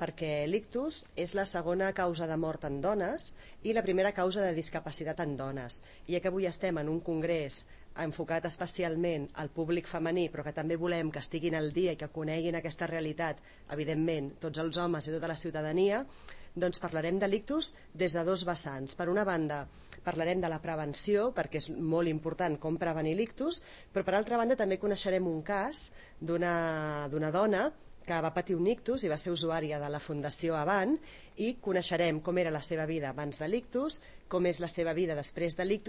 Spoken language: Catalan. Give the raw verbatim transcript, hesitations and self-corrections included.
perquè l'ictus és la segona causa de mort en dones i la primera causa de discapacitat en dones. I ja que avui estem en un congrés enfocat especialment al públic femení, però que també volem que estiguin al dia i que coneguin aquesta realitat, evidentment, tots els homes i tota la ciutadania, doncs parlarem de l'ictus des de dos vessants. Per una banda, parlarem de la prevenció, perquè és molt important com prevenir l'ictus, però per altra banda també coneixerem un cas d'una d'una dona que va patir un ictus i va ser usuària de la Fundació Avant, i coneixerem com era la seva vida abans de l'ictus, com és la seva vida després de l'ictus